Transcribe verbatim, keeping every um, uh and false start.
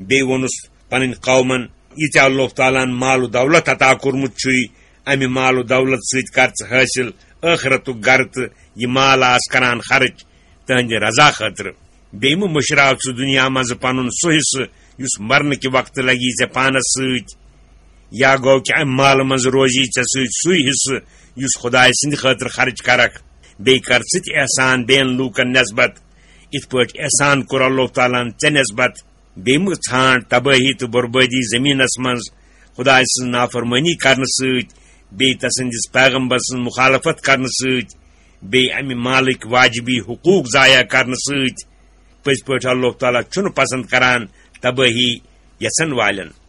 بیٚیہِ ووٚنُس پنٕنۍ قومن، یہِ ژےٚ اللہ تعالیٰ ہن مال و دولت عطا کوٚرمُت چھُے، امہِ مال و دولت سۭتۍ کر ژٕ حٲصِل ٲخرتُک گرٕ تہٕ یہِ مال آس کران خرٕچ تہنٛدِ رضا خٲطرٕ۔ بیٚیہِ مہٕ مٔشراو ژٕ دُنیا منٛزٕ پنُن سُہ حصہٕ یُس مرنہٕ کہِ وقتہٕ لگی ژےٚ پانس سۭتۍ، یا گوٚو کہِ امہِ مالہٕ منٛزٕ روزی ژےٚ سۭتۍ سُے حصہٕ یُس خدایہِ سٕنٛدِ خٲطرٕ خرٕچ کرکھ۔ بیٚیہِ کر ژٕ تہِ احسان بیٚین لوٗکن نسبت، یِتھ پٲٹھۍ احسان کوٚر اللہ تعالیٰ ہن ژےٚ نسبت۔ بیٚیہِ مہٕ ژھانٛڈ تبٲہی تہٕ بربٲدی زٔمیٖنس منٛز خدایہِ سٕنٛز نافرمٲنی کرنہٕ سۭتۍ، بیٚیہِ تسٕنٛدِس پیغمبر سٕنٛز مخالفت کرنہٕ سۭتۍ، بیٚیہِ امہِ مالٕکۍ واجبی حقوٗق ضایع کرنہٕ سۭتۍ۔ پٔزۍ پٲٹھۍ اللہ تعالیٰ چھُنہٕ پسند کران تبٲہی یژھن والٮ۪ن۔